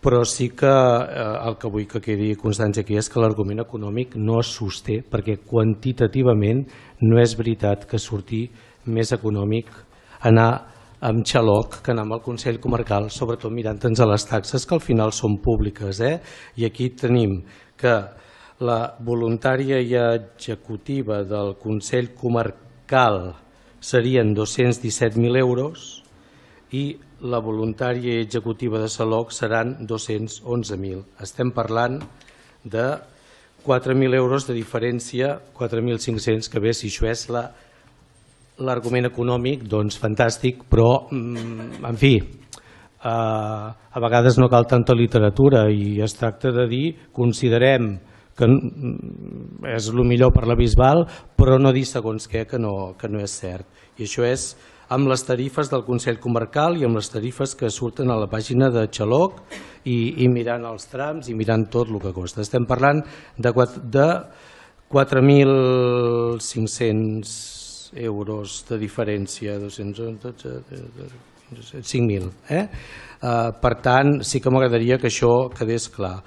però sí que el que vull que quedi constància aquí és que l'argument econòmic no es sosté, perquè quantitativament no és veritat que surti més econòmic anar amb xaloc que anar amb el Consell Comarcal, sobretot mirant-nos a les taxes que al final són públiques. I aquí tenim que la voluntària i executiva del Consell Comarcal serien 217.000 euros i la voluntària i executiva de Xaloc seran 211.000. Estem parlant de 4.000 euros de diferència, 4.500, que bé, si això és l'argument econòmic, doncs fantàstic, però, en fi, a vegades no cal tanta literatura i es tracta de dir, considerem que és el millor per la Bisbal, però no dir segons què que no és cert. I això és amb les tarifes del Consell Comarcal i amb les tarifes que surten a la pàgina de Xaloc i mirant els trams i mirant tot el que costa. Estem parlant de 4.500 euros de diferència, 5.000. Per tant, sí que m'agradaria que això quedés clar.